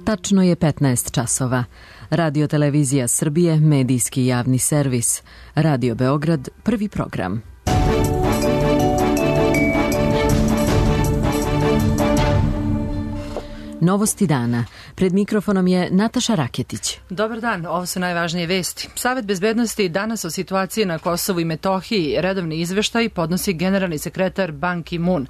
Tačno je 15 časova. Radio Televizija Srbije, medijski javni servis. Radio Beograd, prvi program. Novosti dana. Pred mikrofonom je Nataša Raketić. Dobar dan, ovo su najvažnije vesti. Savet bezbednosti danas o situaciji na Kosovu i Metohiji redovni izveštaj podnosi generalni sekretar Ban Ki-moon.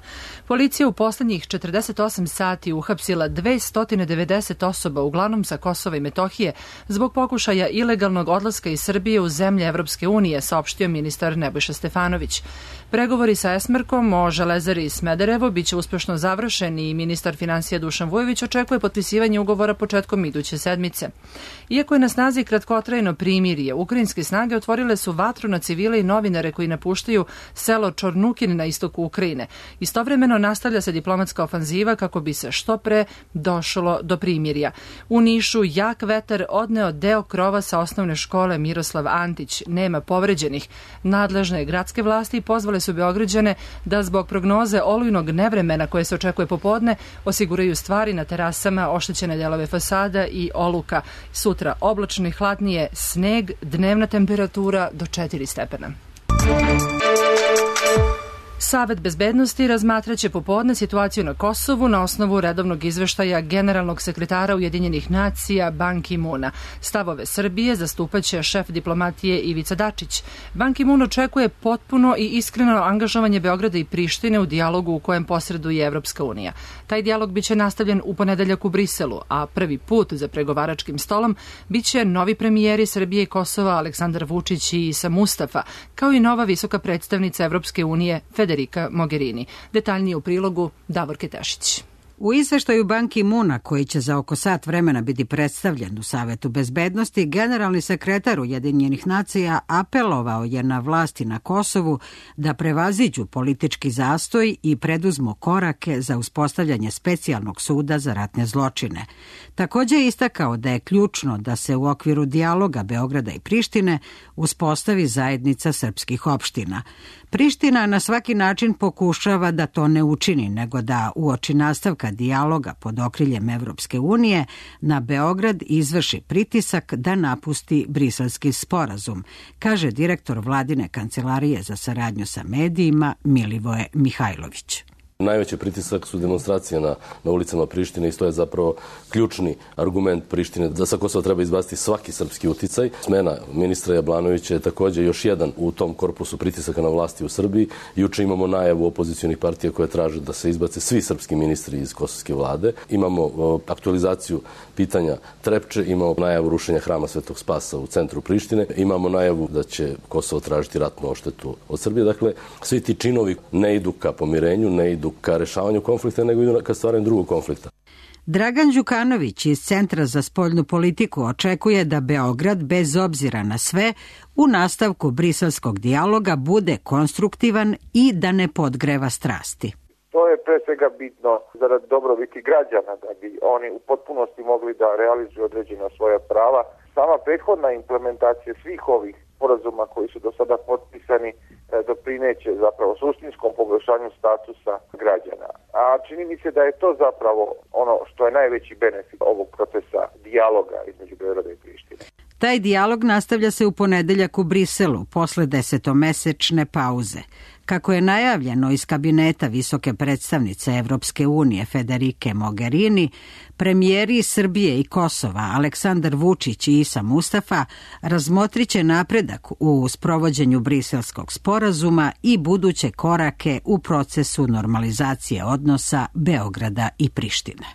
Policija u poslednjih 48 sati uhapsila 290 osoba, uglavnom sa Kosova i Metohije, zbog pokušaja ilegalnog odlaska iz Srbije u zemlje Evropske unije, saopštio ministar Nebojša Stefanović. Pregovori sa Esmerkom o Železari Smederevo biće uspešno završeni i ministar finansija Dušan Vujović očekuje potpisivanje ugovora početkom iduće sedmice. Iako je na snazi kratkotrajno primirje, ukrajinske snage otvorile su vatru na civile i novinare koji napuštaju selo Čornukin na istoku Ukrajine. Istovremeno nastavlja se diplomatska ofanziva kako bi se što pre došlo do primirja. U Nišu jak vetar odneo deo krova sa osnovne škole Miroslav Antić. Nema povređenih. Nadležne gradske vlasti pozvale su Beograđane da zbog prognoze olujnog nevremena koje se očekuje popodne osiguraju stvari na terasama, oštećene delove fasada i oluka. Sutra oblačno i hladnije, sneg, dnevna temperatura do 4 stepena. Savet bezbednosti razmatraće popodne situaciju na Kosovu na osnovu redovnog izveštaja generalnog sekretara Ujedinjenih nacija Ban Ki-moona. Stavove Srbije zastupaće šef diplomatije Ivica Dačić. Ban Ki-moon očekuje potpuno i iskreno angažovanje Beograda i Prištine u dijalogu u kojem posreduje Evropska unija. Taj dijalog biće nastavljen u ponedeljak u Briselu, a prvi put za pregovaračkim stolom biće novi premijeri Srbije i Kosova Aleksandar Vučić i Isa Mustafa, kao i nova visoka predstavnica Evropske unije Federica Mogherini. Detaljnije u prilogu Davor Ketešić. U izveštaju Ban Ki-moona, koji će za oko sat vremena biti predstavljen u Savetu bezbednosti, generalni sekretar Ujedinjenih nacija apelovao je na vlasti na Kosovu da prevaziđu politički zastoj i preduzmu korake za uspostavljanje specijalnog suda za ratne zločine. Također je istakao da je ključno da se u okviru dijaloga Beograda i Prištine uspostavi zajednica srpskih opština. Priština na svaki način pokušava da to ne učini, nego da uoči nastavka dijaloga pod okriljem Evropske unije na Beograd izvrši pritisak da napusti Briselski sporazum, kaže direktor vladine kancelarije za saradnju sa medijima Milivoje Mihajlović. Najveći pritisak su demonstracije na ulicama Prištine i to je zapravo ključni argument Prištine da sa Kosova treba izbaciti svaki srpski uticaj. Smena ministra Jablanovića je također još jedan u tom korpusu pritisaka na vlasti u Srbiji. Juče imamo najavu opozicionih partija koje traže da se izbace svi srpski ministri iz kosovske vlade. Imamo aktualizaciju pitanja Trepče, imamo najavu rušenja hrama Svetog Spasa u centru Prištine, imamo najavu da će Kosovo tražiti ratnu odštetu od Srbije. Dakle, svi ti činovi ne idu ka pomirenju, ne idu ka rešavanju konflikta, nego idu ka stvaranju drugog konflikta. Dragan Đukanović iz Centra za spoljnu politiku očekuje da Beograd, bez obzira na sve, u nastavku briselskog dijaloga bude konstruktivan i da ne podgreva strasti. To je pre svega bitno zarad dobrobiti građana, da bi oni u potpunosti mogli da realizuju određena svoja prava. Sama prethodna implementacija svih ovih sporazuma koji su do sada potpisani doprineće zapravo suštinskom poboljšanju statusa građana. A čini mi se da je to zapravo ono što je najveći benefit ovog procesa dijaloga između Beograda i Prištine. Taj dijalog nastavlja se u ponedeljak u Briselu posle 10-mesečne pauze. Kako je najavljeno iz kabineta visoke predstavnice Evropske unije Federice Mogherini, premijeri Srbije i Kosova Aleksandar Vučić i Isa Mustafa razmotriće napredak u sprovođenju briselskog sporazuma i buduće korake u procesu normalizacije odnosa Beograda i Prištine.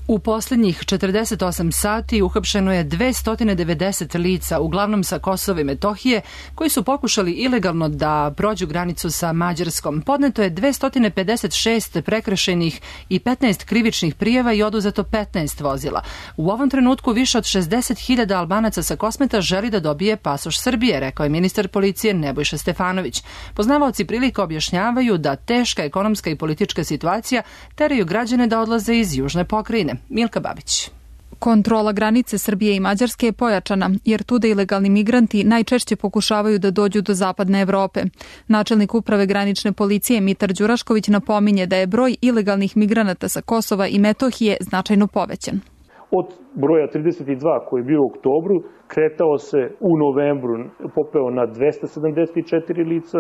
U poslednjih 48 sati uhapšeno je 290 lica, uglavnom sa Kosova i Metohije, koji su pokušali ilegalno da prođu granicu sa Mađarskom. Podneto je 256 prekršajnih i 15 krivičnih prijava i oduzeto 15 vozila. U ovom trenutku više od 60.000 Albanaca sa Kosmeta želi da dobije pasoš Srbije, rekao je ministar policije Nebojša Stefanović. Poznavaoci prilika objašnjavaju da teška ekonomska i politička situacija teraju građane da odlaze iz južne pokrajine. Milka Babić. Kontrola granice Srbije i Mađarske je pojačana, jer tuda ilegalni migranti najčešće pokušavaju da dođu do zapadne Evrope. Načelnik uprave granične policije Mitar Đurašković napominje da je broj ilegalnih migranata sa Kosova i Metohije značajno povećan. od broja 32 koji je bio u oktobru, kretao se u novembru, popeo na 274 lica,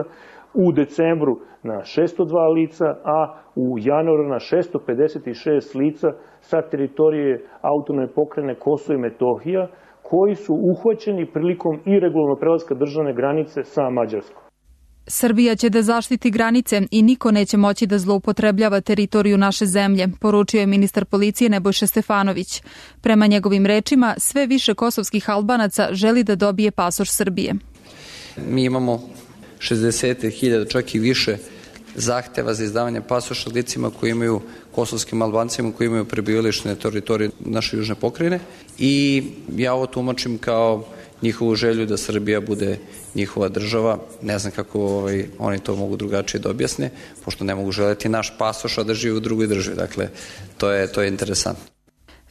u decembru na 602 lica, a u januaru na 656 lica sa teritorije autonomne pokrajine Kosovo i Metohija, koji su uhvaćeni prilikom iregularnog prelaska državne granice sa Mađarskom. Srbija će da zaštiti granice i niko neće moći da zloupotrebljava teritoriju naše zemlje, poručio je ministar policije Nebojša Stefanović. Prema njegovim rečima, sve više kosovskih Albanaca želi da dobije pasoš Srbije. Mi imamo 60.000, čak i više zahteva za izdavanje pasoša licima koji imaju, kosovskim Albancima koji imaju prebivalište na teritoriji naše južne pokrajine, i ja ovo tumačim kao njihovu želju da Srbija bude njihova država. Ne znam kako oni to mogu drugačije da objasne, pošto ne mogu želeti naš pasoš, a da žive u drugoj državi. Dakle, to je interesantno.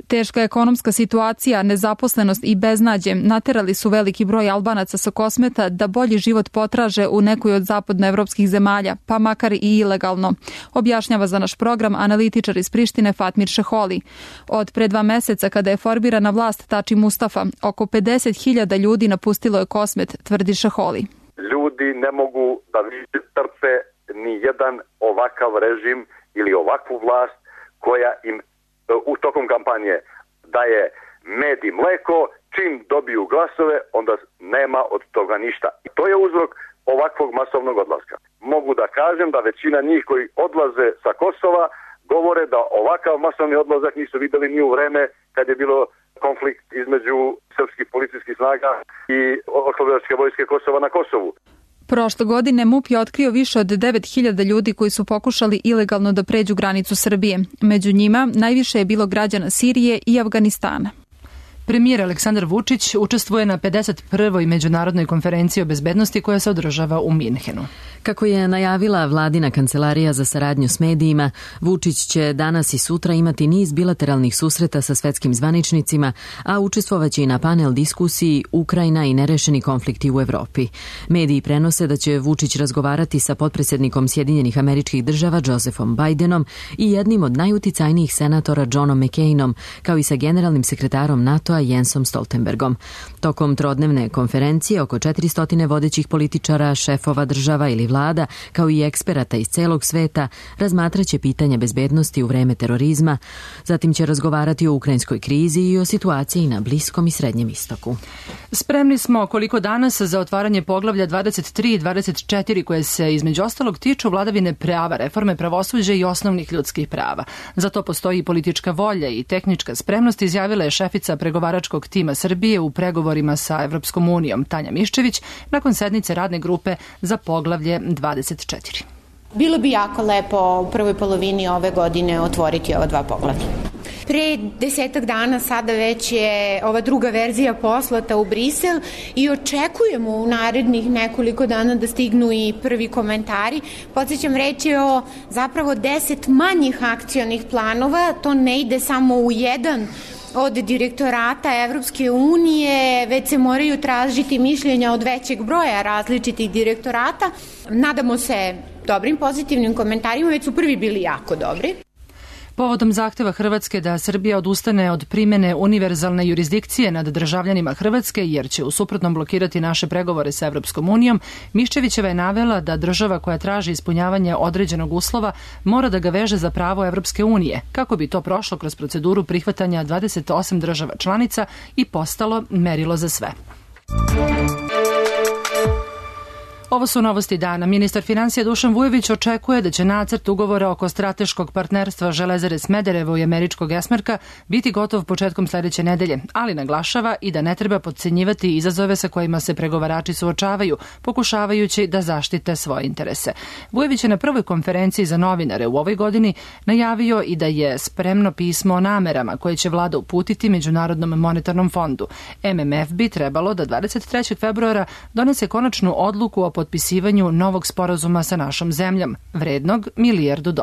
Teška ekonomska situacija, nezaposlenost i beznađe naterali su veliki broj Albanaca sa Kosmeta da bolji život potraže u nekoj od zapadnoevropskih zemalja, pa makar i ilegalno, objašnjava za naš program analitičar iz Prištine Fatmir Šeholi. Od pre 2 meseca, kada je formirana vlast Tači Mustafa, oko 50.000 ljudi napustilo je Kosmet, tvrdi Šeholi. Ljudi ne mogu da trpe ni jedan ovakav režim ili ovakvu vlast koja im u tokom kampanje daje med i mleko, čim dobiju glasove, onda nema od toga ništa. I to je uzrok ovakvog masovnog odlaska. Mogu da kažem da većina njih koji odlaze sa Kosova govore da ovakav masovni odlazak nisu videli ni u vreme kad je bilo konflikt između srpskih policijskih snaga i oslobodilačke vojske Kosova na Kosovu. Prošle godine MUP je otkrio više od 9.000 ljudi koji su pokušali ilegalno da pređu granicu Srbije. Među njima najviše je bilo građana Sirije i Afganistana. Premijer Aleksandar Vučić učestvuje na 51. međunarodnoj konferenciji o bezbednosti koja se održava u Minhenu. Kako je najavila vladina kancelarija za saradnju s medijima, Vučić će danas i sutra imati niz bilateralnih susreta sa svetskim zvaničnicima, a učestvovaće i na panel diskusiji Ukrajina i nerešeni konflikti u Evropi. Mediji prenose da će Vučić razgovarati sa potpredsjednikom Sjedinjenih Američkih Država Josephom Bidenom i jednim od najuticajnijih senatora Johnom McCainom, kao i sa generalnim sekretarom NATO-a Jensom Stoltenbergom. Tokom trodnevne konferencije oko 400 vodećih političara, šefova država ili vlada, kao i eksperata iz celog sveta, razmatraće pitanja bezbednosti u vreme terorizma, zatim će razgovarati o ukrajinskoj krizi i o situaciji na Bliskom i Srednjem istoku. Spremni smo koliko danas za otvaranje poglavlja 23 i 24 koje se između ostalog tiču vladavine prava, reforme pravosuđa i osnovnih ljudskih prava. Za to postoji i politička volja i tehnička spremnost, izjavila je šefica pregovaračkog tima Srbije u pregovorima sa Evropskom unijom Tanja Miščević nakon sednice radne grupe za poglavlje 24. Bilo bi jako lepo u prvoj polovini ove godine otvoriti ova 2 poglavlja. Pre 10 dana sada već je ova druga verzija poslata u Brisel i očekujemo u narednih nekoliko dana da stignu i prvi komentari. Podsjećam, reč je o zapravo 10 manjih akcionih planova, to ne ide samo u jedan od direktorata Evropske unije, već se moraju tražiti mišljenja od većeg broja različitih direktorata. Nadamo se dobrim pozitivnim komentarima, već su prvi bili jako dobri. Povodom zahteva Hrvatske da Srbija odustane od primene univerzalne jurisdikcije nad državljanima Hrvatske, jer će u suprotnom blokirati naše pregovore sa Evropskom unijom, Miščevićeva je navela da država koja traži ispunjavanje određenog uslova mora da ga veže za pravo Evropske unije, kako bi to prošlo kroz proceduru prihvatanja 28 država članica i postalo merilo za sve. Ovo su novosti dana. Ministar finansija Dušan Vujović očekuje da će nacrt ugovora oko strateškog partnerstva Železare Smederevo i američkog Esmarka biti gotov početkom sledeće nedelje, ali naglašava i da ne treba potcenjivati izazove sa kojima se pregovarači suočavaju, pokušavajući da zaštite svoje interese. Vujović je na prvoj konferenciji za novinare u ovoj godini najavio i da je spremno pismo o namerama koje će vlada uputiti Međunarodnom monetarnom fondu. MMF bi trebalo da 23. februara donese konačnu odluku o potpisivanju novog sporazuma sa našom zemljom, vrednog $1 milijardu.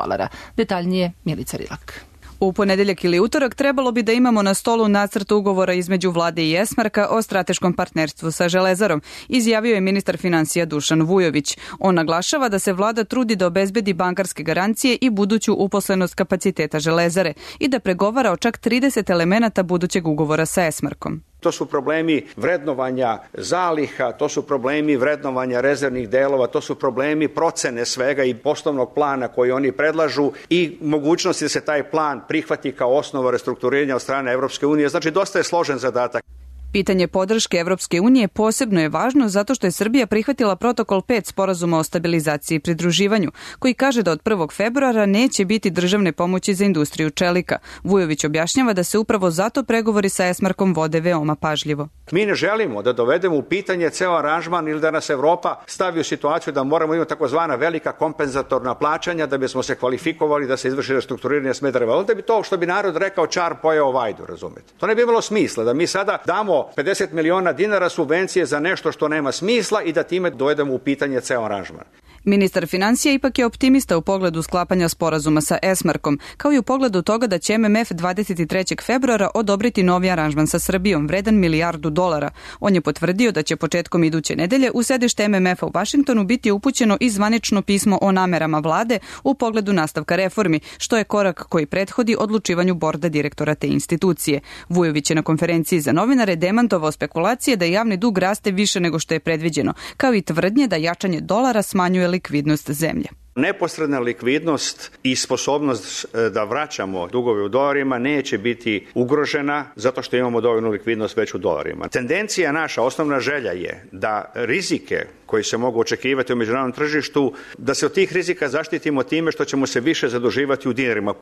Detaljnije Milica Rilak. U ponedeljak ili utorak trebalo bi da imamo na stolu nacrt ugovora između vlade i Esmarka o strateškom partnerstvu sa Železarom, izjavio je ministar finansija Dušan Vujović. On naglašava da se vlada trudi da obezbedi bankarske garancije i buduću uposlenost kapaciteta Železare i da pregovara o čak 30 elemenata budućeg ugovora sa Esmarkom. To su problemi vrednovanja zaliha, to su problemi vrednovanja rezervnih delova, to su problemi procene svega i poslovnog plana koji oni predlažu i mogućnosti da se taj plan prihvati kao osnova restrukturiranja od strane Evropske unije. Znači, dosta je složen zadatak. Pitanje podrške Evropske unije posebno je važno zato što je Srbija prihvatila protokol 5 sporazuma o stabilizaciji i pridruživanju, koji kaže da od 1. februara neće biti državne pomoći za industriju čelika. Vujović objašnjava da se upravo zato pregovori sa Esmarkom vode veoma pažljivo. Mi ne želimo da dovedemo u pitanje ceo aranžman ili da nas Evropa stavi u situaciju da moramo imati takozvana velika kompenzatorna plaćanja da bismo se kvalifikovali da se izvrši restrukturiranje Smedereva. Onda bi to, što bi narod rekao, čar pojeo vajdu, razumete? To ne bi imalo smisla da mi sada damo 50 miliona dinara subvencije za nešto što nema smisla i da time dovedemo u pitanje ceo aranžman. Ministar finansija ipak je optimista u pogledu sklapanja sporazuma sa Esmarkom, kao i u pogledu toga da će MMF 23. februara odobriti novi aranžman sa Srbijom, vredan $1 milijardu. On je potvrdio da će početkom iduće nedelje u sedište MMF-a u Vašingtonu biti upućeno i zvanično pismo o namerama vlade u pogledu nastavka reformi, što je korak koji prethodi odlučivanju borda direktora te institucije. Vujović je na konferenciji za novinare demantovao spekulacije da javni dug raste više nego što je predviđeno, kao i tvrdnje da jačanje dolara smanjuje likvidnost zemlje. Neposredna likvidnost i sposobnost da vraćamo dugove u dolarima neće biti ugrožena zato što imamo dovoljnu likvidnost već u dolarima. Tendencija naša, osnovna želja je da rizike koji se mogu očekivati u međunarodnom tržištu, da se od tih rizika zaštitimo time što ćemo se više zaduživati u dinarima.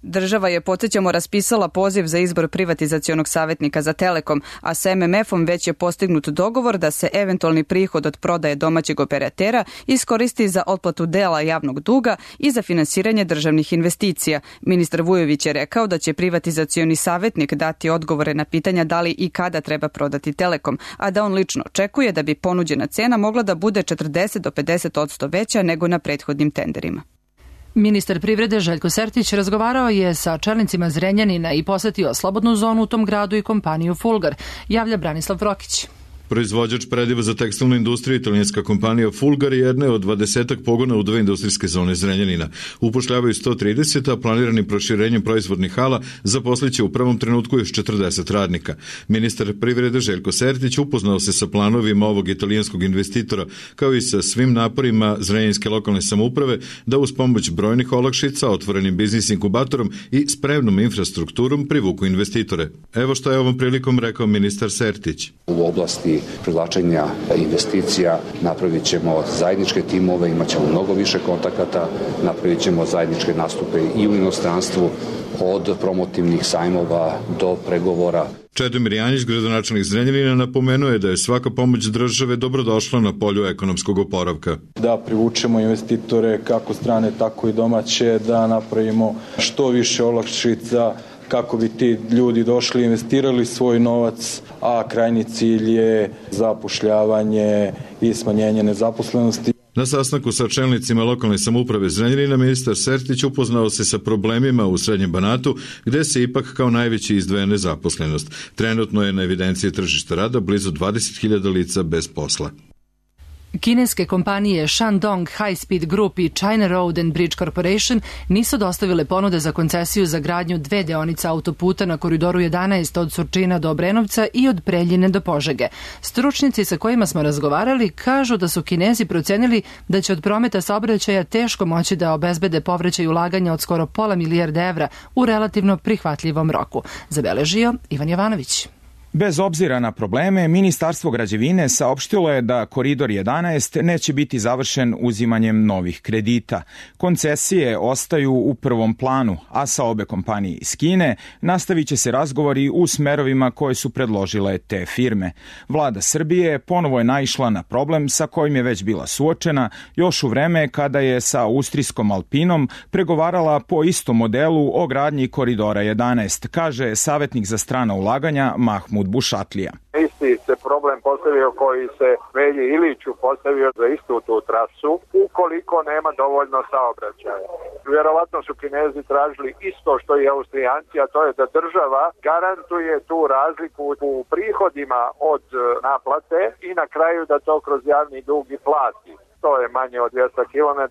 Država je, podsjećamo, raspisala poziv za izbor privatizacionog savjetnika za Telekom, a sa MMF-om već je postignut dogovor da se eventualni prihod od prodaje domaćeg operatera iskoristi za otplatu dela javnog duga i za finansiranje državnih investicija. Ministar Vujović je rekao da će privatizacioni savjetnik dati odgovore na pitanja da li i kada treba prodati Telekom, a da on lično očekuje da bi ponuđena cena mogla da bude 40 do 50% veća nego na prethodnim tenderima. Ministar privrede Željko Sertić razgovarao je sa čelnicima Zrenjanina i posetio slobodnu zonu u tom gradu i kompaniju Fulgar, javlja Branislav Vrokić. Proizvođač prediva za tekstilnu industriju, italijanska kompanija Fulgar, jedna je od 20 pogona u 2 industrijske zone Zrenjanina. Upošljavaju 130, a planiranim proširenjem proizvodnih hala zaposliće u prvom trenutku još 40 radnika. Ministar privrede Željko Sertić upoznao se sa planovima ovog italijanskog investitora, kao i sa svim naporima zrenjaninske lokalne samouprave da uz pomoć brojnih olakšica, otvorenim biznis inkubatorom i spremnom infrastrukturom privuku investitore. Evo što je ovom prilikom rekao ministar Sertić. U oblasti privlačenja investicija napravit ćemo zajedničke timove, imat ćemo mnogo više kontakata, napravit ćemo zajedničke nastupe i u inostranstvu, od promotivnih sajmova do pregovora. Čedomir Janjić, gradonačelnik Zrenjanina, napomenuo je da je svaka pomoć države dobrodošla na polju ekonomskog oporavka. Da privučemo investitore kako strane, tako i domaće, da napravimo što više olakšica kako bi ti ljudi došli, investirali svoj novac, a krajnji cilj je zapošljavanje i smanjenje nezaposlenosti. Na sastanku sa čelnicima lokalne samouprave Zrenjanina ministar Sertić upoznao se sa problemima u Srednjem Banatu, gde se ipak kao najveći izdvaja nezaposlenost. Trenutno je na evidenciji tržišta rada blizu 20.000 lica bez posla. Kineske kompanije Shandong High Speed Group i China Road and Bridge Corporation nisu dostavile ponude za koncesiju za gradnju 2 deonice autoputa na koridoru 11 od Surčina do Obrenovca i od Preljine do Požege. Stručnjaci sa kojima smo razgovarali kažu da su Kinezi procenili da će od prometa saobraćaja teško moći da obezbede povraćaj ulaganja od skoro $500 milijarda u relativno prihvatljivom roku, zabeležio Ivan Jovanović. Bez obzira na probleme, Ministarstvo građevine saopštilo je da Koridor 11 neće biti završen uzimanjem novih kredita. Koncesije ostaju u prvom planu, a sa obe kompanije iz Kine nastavit će se razgovori u smerovima koje su predložile te firme. Vlada Srbije ponovo je naišla na problem sa kojim je već bila suočena još u vreme kada je sa austrijskom Alpinom pregovarala po istom modelu o gradnji Koridora 11, kaže savjetnik za strana ulaganja Mahmud Mahmud Bušatlija. Isti se problem postavio koji se Velji Iliću postavio za istu tu trasu, ukoliko nema dovoljno saobraćaja. Vjerovatno su Kinezi tražili isto što i Austrijanci, a to je da država garantuje tu razliku u prihodima od naplate i na kraju da to kroz javni dug i plati. To je manje od 200 km,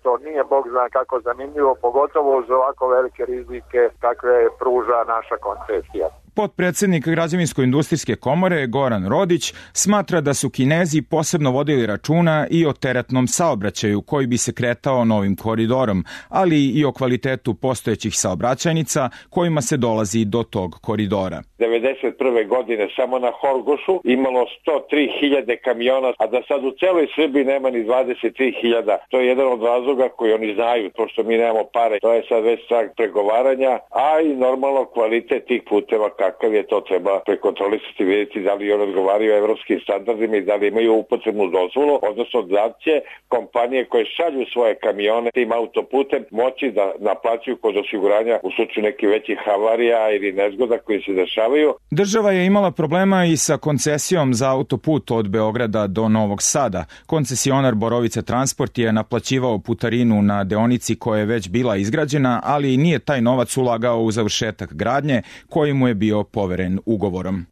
to nije bog zna kako zanimljivo, pogotovo uz ovako velike rizike kakve pruža naša koncesija. Potpredsednik Građevinsko-industrijske komore Goran Rodić smatra da su Kinezi posebno vodili računa i o teretnom saobraćaju koji bi se kretao novim koridorom, ali i o kvalitetu postojećih saobraćajnica kojima se dolazi do tog koridora. 1991. godine samo na Horgošu imalo 103.000 kamiona, a da sad u celoj Srbiji nema ni 23.000. To je jedan od razloga koji oni znaju, pošto mi nemamo pare. To je sad već strah pregovaranja, a i normalno kvalitet tih puteva kakav je, to treba prekontrolisati, vidjeti da li oni odgovaraju evropskim standardima i da li imaju upotrebnu dozvolu, odnosno da će kompanije koje šalju svoje kamione tim autoputem moći da naplaćuju kod osiguranja u slučaju nekih većih havarija ili nezgoda koji se dešavaju. Država je imala problema i sa koncesijom za autoput od Beograda do Novog Sada. Koncesionar Borovica Transport je naplaćivao putarinu na deonici koja je već bila izgrađena, ali nije taj novac ulagao u završetak gradnje koji mu je bio poveren ugovorom.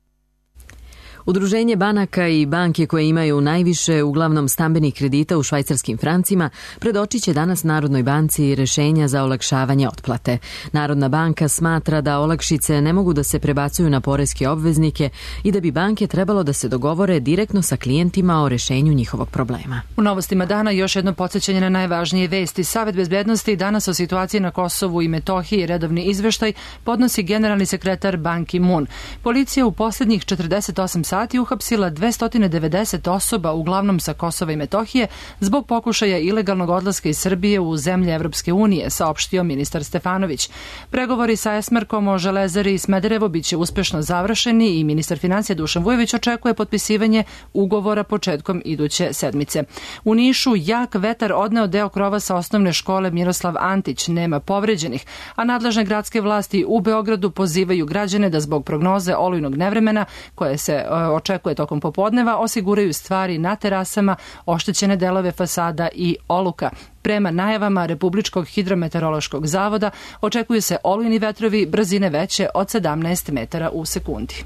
Udruženje banaka i banke koje imaju najviše uglavnom stambenih kredita u švajcarskim francima predočit će danas Narodnoj banci rešenja za olakšavanje otplate. Narodna banka smatra da olakšice ne mogu da se prebacuju na poreske obveznike i da bi banke trebalo da se dogovore direktno sa klijentima o rešenju njihovog problema. U novostima dana još jedno podsjećanje na najvažnije vesti. Savet bezbednosti danas o situaciji na Kosovu i Metohiji redovni izveštaj podnosi generalni sekretar Ban Ki-moon. Policija u posljednjih 48 sati uhapsila 290 osoba, uglavnom sa Kosova i Metohije, zbog pokušaja ilegalnog odlaska iz Srbije u zemlje Evropske unije, saopštio ministar Stefanović. Pregovori sa Esmarkom o Železari i Smederevo biće uspešno završeni i ministar financija Dušan Vujović očekuje potpisivanje ugovora početkom iduće sedmice. U Nišu jak vetar odneo deo krova sa osnovne škole Miroslav Antić, nema povređenih, a nadležne gradske vlasti u Beogradu pozivaju građane da zbog prognoze olujnog nevremena koje se očekuje tokom popodneva osiguraju stvari na terasama, oštećene delove fasada i oluka. Prema najavama Republičkog hidrometeorološkog zavoda očekuju se olujni vetrovi brzine veće od 17 metara u sekundi.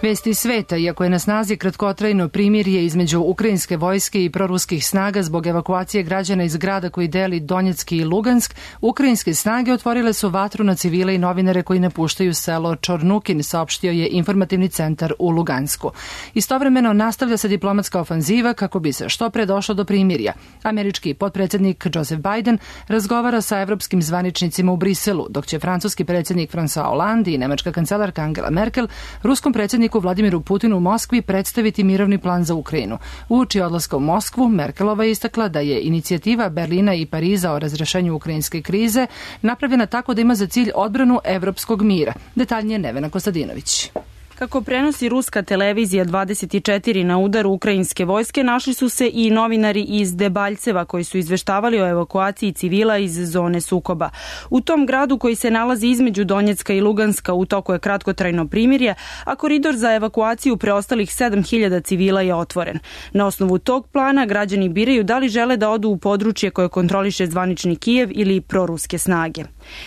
Vesti sveta, iako je na snazi kratkotrajno primirje između ukrajinske vojske i proruskih snaga zbog evakuacije građana iz grada koji deli Donjecki i Lugansk, ukrajinske snage otvorile su vatru na civile i novinare koji napuštaju selo Čornukin, saopštio je informativni centar u Lugansku. Istovremeno nastavlja se diplomatska ofanziva kako bi se što pre došlo do primirja. Američki potpredsjednik Joseph Biden razgovara sa evropskim zvaničnicima u Briselu, dok će francuski predsjednik François Hollande i nemačka kancelarka Angela Merkel ruskom predsjedniku Vladimiru Putinu u Moskvi predstaviti mirovni plan za Ukrajinu. Uoči odlaska u Moskvu, Merkelova je istakla da je inicijativa Berlina i Pariza o razrešenju ukrajinske krize napravljena tako da ima za cilj odbranu evropskog mira. Detaljnije Nevena Kostadinović. Kako prenosi ruska televizija 24 na udaru ukrajinske vojske, našli su se i novinari iz Debaljceva koji su izveštavali o evakuaciji civila iz zone sukoba. U tom gradu koji se nalazi između Donjecka i Luganska u toku je kratkotrajno primirje, a koridor za evakuaciju preostalih 7.000 civila je otvoren. Na osnovu tog plana građani biraju da li žele da odu u područje koje kontroliše zvanični Kijev ili proruske snage.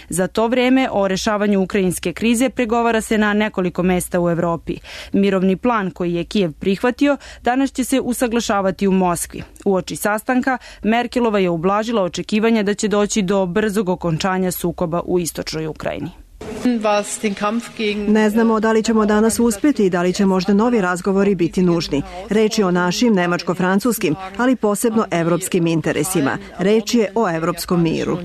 Za to vreme o rešavanju ukrajinske krize pregovara se na nekoliko mesta u Evropi. Mirovni plan koji je Kijev prihvatio danas će se usaglašavati u Moskvi. Uoči sastanka Merkelova je ublažila očekivanja da će doći do brzog okončanja sukoba u istočnoj Ukrajini. Ne znamo da li ćemo danas uspjeti i da li će možda novi razgovori biti nužni. Reč je o našim nemačko-francuskim, ali posebno evropskim interesima. Reč je o evropskom miru.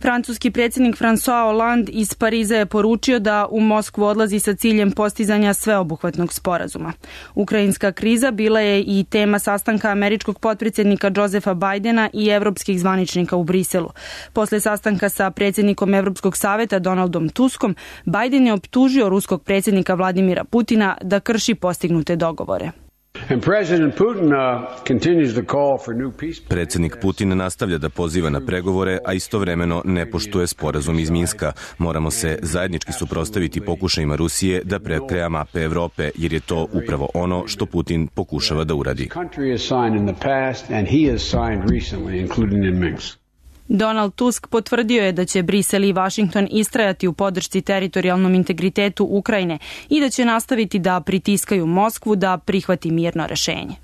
Francuski predsjednik François Hollande iz Pariza je poručio da u Moskvu odlazi sa ciljem postizanja sveobuhvatnog sporazuma. Ukrajinska kriza bila je i tema sastanka američkog potpredsjednika Josepha Bidena i evropskih zvaničnika u Briselu. Posle sastanka sa predsjednikom Evropskog saveta Donaldom Tuskom, Biden je optužio ruskog predsjednika Vladimira Putina da krši postignute dogovore. Predsednik Putin nastavlja da poziva na pregovore, a istovremeno ne poštuje sporazum iz Minska. Moramo se zajednički suprotstaviti pokušajima Rusije da prekreja mape Evrope, jer je to upravo ono što Putin pokušava da uradi. Donald Tusk potvrdio je da će Brisel i Vašington istrajati u podršci teritorijalnom integritetu Ukrajine i da će nastaviti da pritiskaju Moskvu da prihvati mirno rešenje.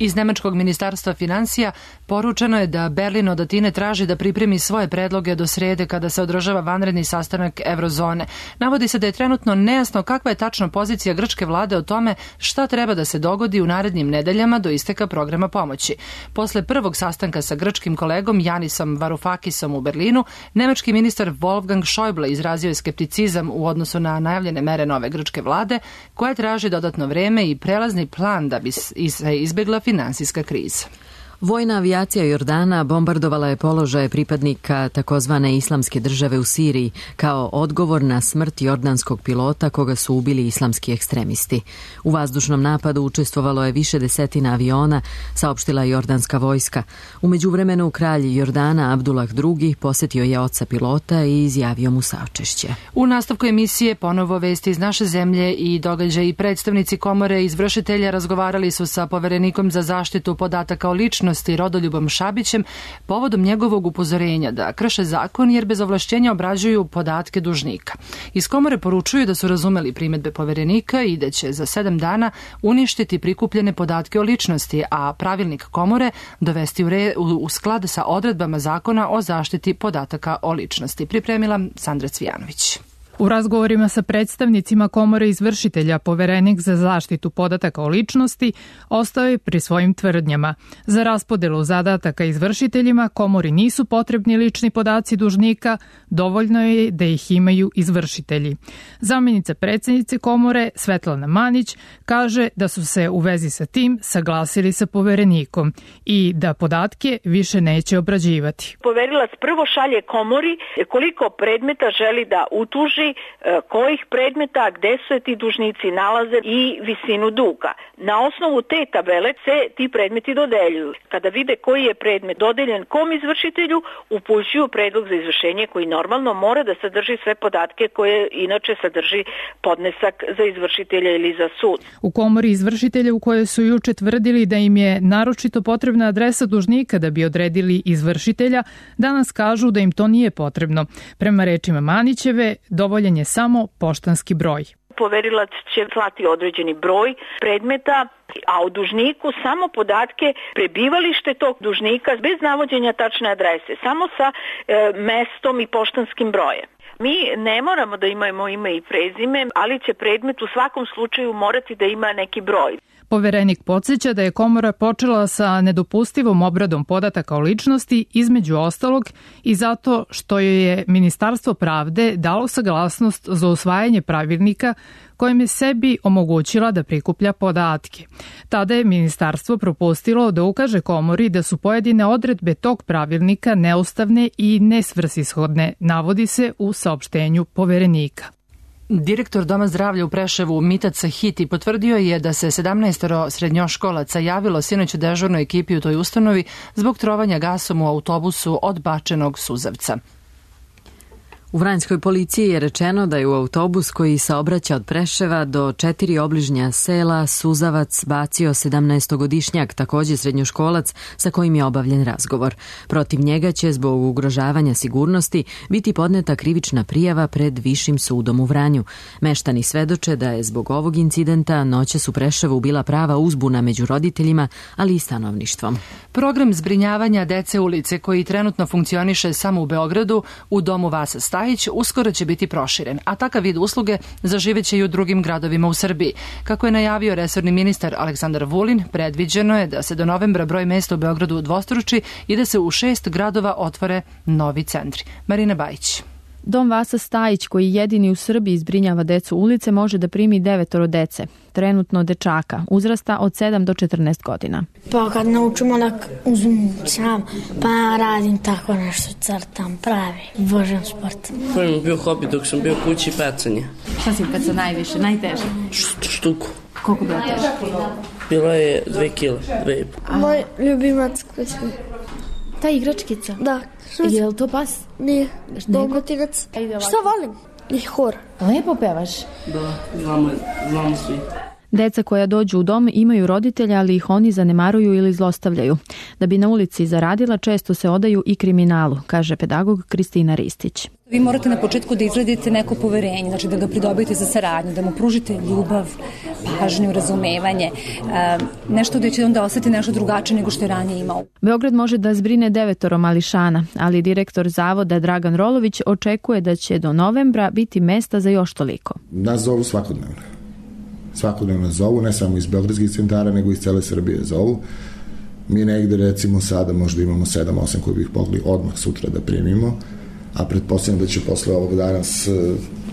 Iz Nemačkog ministarstva finansija poručeno je da Berlin od Atine traži da pripremi svoje predloge do srede kada se održava vanredni sastanak Eurozone. Navodi se da je trenutno nejasno kakva je tačno pozicija grčke vlade o tome šta treba da se dogodi u narednim nedeljama do isteka programa pomoći. Posle prvog sastanka sa grčkim kolegom Janisom Varoufakisom u Berlinu, nemački ministar Wolfgang Schäuble izrazio je skepticizam u odnosu na najavljene mere nove grčke vlade, koja traži dodatno vreme i prelazni plan da bi se izbegla finansijska kriza. Vojna avijacija Jordana bombardovala je položaje pripadnika takozvane islamske države u Siriji kao odgovor na smrt jordanskog pilota koga su ubili islamski ekstremisti. U vazdušnom napadu učestvovalo je više desetina aviona, saopštila jordanska vojska. U međuvremenu kralj Jordana Abdullah II posetio je oca pilota i izjavio mu saučešće. U nastavku emisije ponovo vesti iz naše zemlje i događaji. Predstavnici komore izvršitelja razgovarali su sa poverenikom za zaštitu podataka o ličnosti Rodoljubom Šabićem povodom njegovog upozorenja da krše zakon jer bez ovlašćenja obrađuju podatke dužnika. Iz komore poručuju da su razumeli primedbe poverenika i da će za 7 dana uništiti prikupljene podatke o ličnosti, a pravilnik komore dovesti u sklad sa odredbama zakona o zaštiti podataka o ličnosti. Pripremila Sandra Cvijanović. U razgovorima sa predstavnicima komore izvršitelja, poverenik za zaštitu podataka o ličnosti ostao je pri svojim tvrdnjama. Za raspodelu zadataka izvršiteljima komori nisu potrebni lični podaci dužnika, dovoljno je da ih imaju izvršitelji. Zamjenica predsjednice komore Svetlana Manić kaže da su se u vezi sa tim saglasili sa poverenikom i da podatke više neće obrađivati. Poverilac prvo šalje komori koliko predmeta želi da utuži, kojih predmeta, gde se ti dužnici nalaze i visinu duga. Na osnovu te tabele se ti predmeti dodeljuju. Kada vide koji je predmet dodeljen kom izvršitelju, upućuju predlog za izvršenje koji normalno mora da sadrži sve podatke koje inače sadrži podnesak za izvršitelja ili za sud. U komori izvršitelja u kojoj su juče tvrdili da im je naročito potrebna adresa dužnika da bi odredili izvršitelja, danas kažu da im to nije potrebno. Prema rečima Manićeve, dovoljen je samo poštanski broj. Poverilac će slati određeni broj predmeta, a u dužniku samo podatke prebivalište tog dužnika bez navođenja tačne adrese, samo sa mestom i poštanskim brojem. Mi ne moramo da imamo ime i prezime, ali će predmet u svakom slučaju morati da ima neki broj. Poverenik podsjeća da je komora počela sa nedopustivom obradom podataka o ličnosti, između ostalog i zato što joj je Ministarstvo pravde dalo saglasnost za usvajanje pravilnika kojim je sebi omogućila da prikuplja podatke. Tada je ministarstvo propustilo da ukaže komori da su pojedine odredbe tog pravilnika neustavne i nesvrsishodne, navodi se u saopštenju poverenika. Direktor Doma zdravlja u Preševu Mitat Sahiti potvrdio je da se 17 srednjoškolaca javilo sinoć u dežurnoj ekipi u toj ustanovi zbog trovanja gasom u autobusu od bačenog suzavca. U Vranjskoj policiji je rečeno da je u autobus koji saobraća od Preševa do 4 obližnja sela suzavac bacio 17-godišnjak, takođe srednjoškolac sa kojim je obavljen razgovor. Protiv njega će zbog ugrožavanja sigurnosti biti podneta krivična prijava pred Višim sudom u Vranju. Meštani svedoče da je zbog ovog incidenta noćas u Preševu bila prava uzbuna među roditeljima, ali i stanovništvom. Program zbrinjavanja dece ulice koji trenutno funkcioniše samo u Beogradu u domu Vasa Stajić uskoro će biti proširen, a takav vid usluge zaživeće i u drugim gradovima u Srbiji. Kako je najavio resorni ministar Aleksandar Vulin, predviđeno je da se do novembra broj mesta u Beogradu udvostruči i da se u 6 gradova otvore novi centri. Marina Bajić. Dom Vasa Stajić, koji jedini u Srbiji zbrinjava decu ulice, može da primi 9 dece, trenutno dečaka, uzrasta od 7 do 14 godina. Pa kad naučimo da uzmem sam, pa radim tako nešto, crtam, pravi, božem sport. To je bio hobi dok sam bio kući, pecanje. Šta si peca najviše, najteže? Štuku. Koliko bila teža? Bila je 2 kile, 2,5. Moj ljubimac kućni. Ta igračkica? Da. Je li to pas? Nije. Dalmatinac. Šta volim? I hor. Lepo pevaš? Da, znamo svi. Deca koja dođu u dom imaju roditelja, ali ih oni zanemaruju ili zlostavljaju. Da bi na ulici zaradila, često se odaju i kriminalu, kaže pedagog Kristina Ristić. Vi morate na početku da izgradite neko poverenje, znači da ga pridobijete za saradnju, da mu pružite ljubav, pažnju, razumevanje, nešto da će onda ostati nešto drugačije nego što je ranije imao. Beograd može da zbrine 9 mališana, ali direktor zavoda Dragan Rolović očekuje da će do novembra biti mesta za još toliko. Nas zovu svakodnevno. Svakodnevno zovu, ne samo iz beogradskih centara, nego iz cele Srbije zovu. Mi negde recimo sada možda imamo 7-8 koji bih mogli odmah sutra da primimo, a pretpostavljam da će posle ovog danas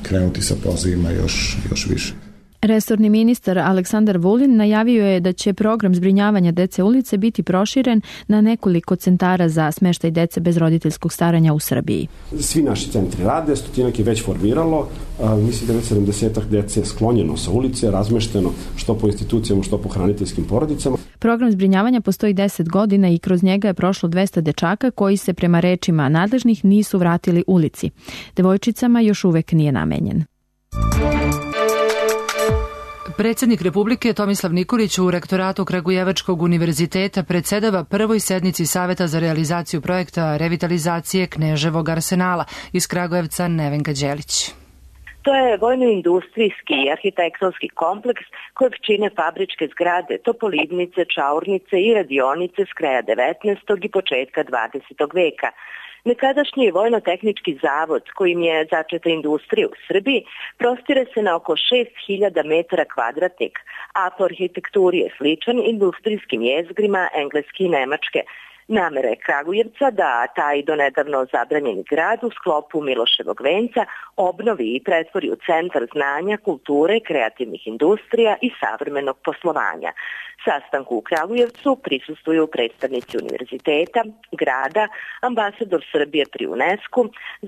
krenuti sa pozivima još više. Resorni ministar Aleksandar Vulin najavio je da će program zbrinjavanja dece ulice biti proširen na nekoliko centara za smeštaj dece bez roditeljskog staranja u Srbiji. Svi naši centri rade, 100 je već formiralo, mislim da je već 70 dece sklonjeno sa ulice, razmešteno što po institucijama, što po hraniteljskim porodicama. Program zbrinjavanja postoji 10 godina i kroz njega je prošlo 200 dečaka koji se prema rečima nadležnih nisu vratili ulici. Devojčicama još uvek nije namenjen. Predsjednik Republike Tomislav Nikolić u rektoratu Kragujevačkog univerziteta predsedava prvoj sednici Saveta za realizaciju projekta revitalizacije Kneževog arsenala. Iz Kragujevca Nevenka Đelić. To je vojno-industrijski i arhitektonski kompleks kojeg čine fabričke zgrade, topolivnice, čaurnice i radionice s kraja 19. i početka 20. veka. Nekadašnji vojno-tehnički zavod kojim je začeta industrija u Srbiji prostire se na oko 6000 metara kvadratnih, a po arhitekturi je sličan industrijskim jezgrima Engleske i Nemačke. Namera je Kragujevca da taj donedavno zabranjeni grad u sklopu Miloševog venca obnovi i pretvori u centar znanja, kulture, kreativnih industrija i savremenog poslovanja. Sastanku u Kragujevcu prisustvuju predstavnici univerziteta, grada, ambasador Srbije pri UNESCO,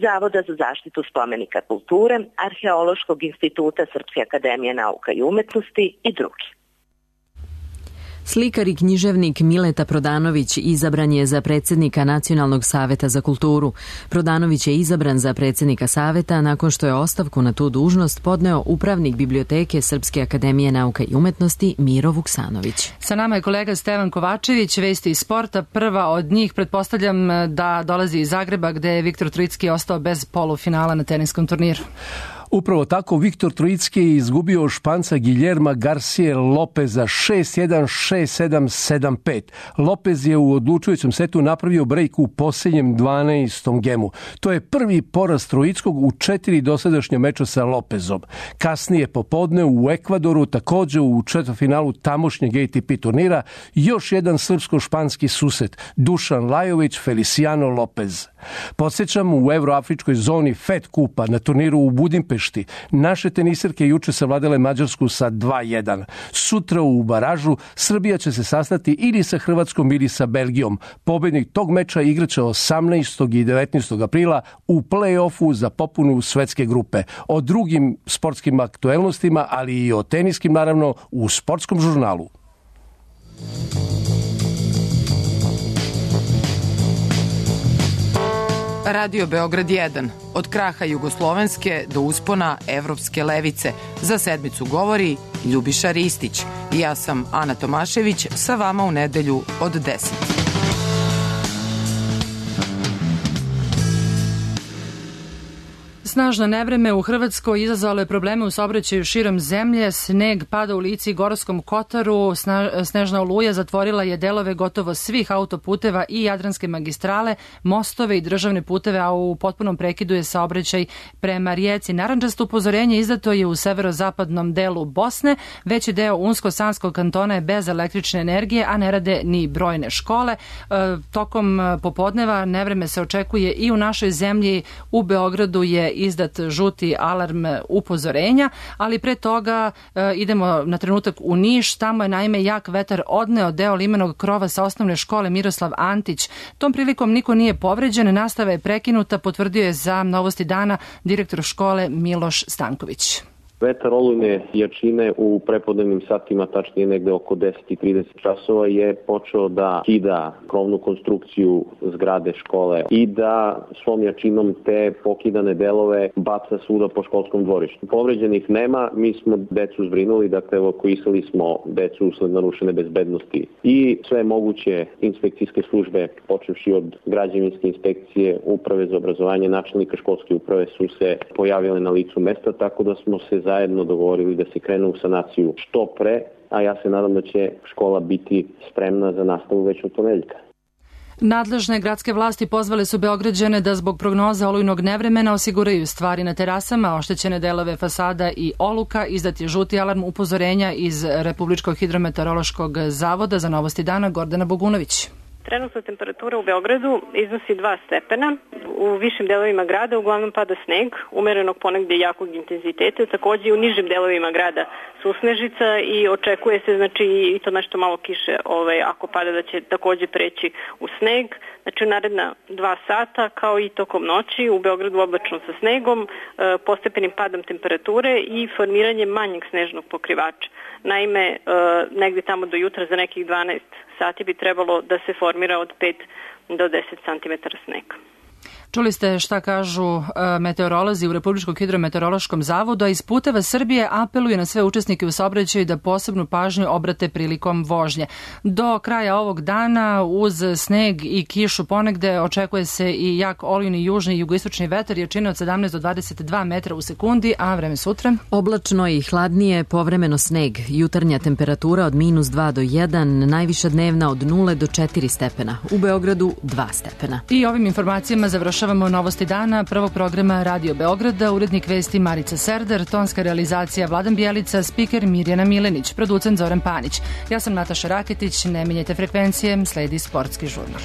Zavoda za zaštitu spomenika kulture, Arheološkog instituta Srpske akademije nauka i umetnosti i drugi. Slikar i književnik Mileta Prodanović izabran je za predsjednika Nacionalnog saveta za kulturu. Prodanović je izabran za predsjednika saveta nakon što je ostavku na tu dužnost podneo upravnik biblioteke Srpske akademije nauka i umetnosti Miro Vuksanović. Sa nama je kolega Stevan Kovačević, vesti iz sporta. Prva od njih, pretpostavljam da dolazi iz Zagreba gde je Viktor Trojicki ostao bez polufinala na teniskom turniru. Upravo tako, Viktor Trojicki je izgubio Španca Guillerma Garcije Lopeza 6-1, 6-7, 7-5. Lopez je u odlučujućem setu napravio brejk u posljednjem 12. gemu. To je prvi poraz Trojickog u 4 dosadašnja meča sa Lopezom. Kasnije popodne u Ekvadoru, također u četvrtfinalu tamošnjeg ATP turnira, još jedan srpsko-španski susret, Dušan Lajović, Feliciano Lopez. Podsjećam, u Evroafričkoj zoni FED kupa na turniru u Budimpešti naše tenisirke juče savladale Mađarsku sa 2-1. Sutra u baražu Srbija će se sastati ili sa Hrvatskom ili sa Belgijom. Pobednik tog meča igraće 18. i 19. aprila u play-offu za popunu svetske grupe. O drugim sportskim aktuelnostima, ali i o teniskim naravno u Sportskom žurnalu. Radio Beograd 1. Od kraha jugoslovenske do uspona evropske levice. Za sedmicu govori Ljubiša Ristić. Ja sam Ana Tomašević, sa vama u nedelju od 10. Snažno nevreme u Hrvatskoj izazvalo je probleme u saobraćaju širom zemlje. Sneg pada u Lici i Gorskom Kotaru. Snežna oluja zatvorila je delove gotovo svih autoputeva i Jadranske magistrale, mostove i državne puteve, a u potpunom prekidu je saobraćaj prema Rijeci. Narandžasto upozorenje izdato je u severozapadnom delu Bosne. Veći deo Unsko-Sanskog kantona je bez električne energije, a ne rade ni brojne škole. Tokom popodneva nevreme se očekuje i u našoj zemlji. U Beogradu je izdat žuti alarm upozorenja, ali pre toga idemo na trenutak u Niš. Tamo je naime jak vetar odneo deo limenog krova sa osnovne škole Miroslav Antić. Tom prilikom niko nije povređen, nastava je prekinuta, potvrdio je za Novosti dana direktor škole Miloš Stanković. Vetar olujne jačine u prepodnevnim satima, tačnije negde oko 10:30 časova, je počeo da kida krovnu konstrukciju zgrade škole i da svom jačinom te pokidane delove baca svuda po školskom dvorištu. Povređenih nema, mi smo decu zbrinuli, dakle evakuisali smo decu usled narušene bezbednosti i sve moguće inspekcijske službe, počevši od građevinske inspekcije, uprave za obrazovanje, načelnika školske uprave su se pojavile na licu mesta, tako da smo se zajedno dogovorili da se krene u sanaciju što pre, a ja se nadam da će škola biti spremna za nastavu već od ponedeljka. Nadležne gradske vlasti pozvale su Beograđane da zbog prognoza olujnog nevremena osiguraju stvari na terasama, oštećene delove fasada i oluka. Izdat je žuti alarm upozorenja iz Republičkog hidrometeorološkog zavoda. Za Novosti dana Gordana Bogunović. Trenutna temperatura u Beogradu iznosi 2 stepena. U višim delovima grada uglavnom pada sneg, umerenog ponegdje jakog intenziteta. Takođe i u nižim delovima grada susnežica i očekuje se i to nešto malo kiše ako pada da će takođe preći u sneg. Znači u naredna 2 sata kao i tokom noći u Beogradu oblačno sa snegom, postepenim padom temperature i formiranjem manjeg snežnog pokrivača. Naime, negdje tamo do jutra za nekih 12 sati bi trebalo da se formira od 5 do 10 cm snega. Čuli ste šta kažu meteorolozi u Republičkom hidrometeorološkom zavodu, a iz Puteva Srbije apeluje na sve učesnike u saobraćaju da posebnu pažnju obrate prilikom vožnje. Do kraja ovog dana uz sneg i kišu ponegde očekuje se i jak olujni južni i jugoistočni vetar jačine od 17 do 22 metra u sekundi, a vreme sutra? Oblačno i hladnije, povremeno sneg. Jutarnja temperatura od -2 do 1, najviša dnevna od 0 do 4 stepena. U Beogradu 2 stepena. I ovim informacijama završavamo Novosti dana prvog programa Radio Beograda, urednik vesti Marica Serdar, tonska realizacija Vladan Bjelica, spiker Mirjana Milenić, producent Zoran Panić. Ja sam Nataša Raketić, ne menjajte frekvencije, sledi sportski žurnal.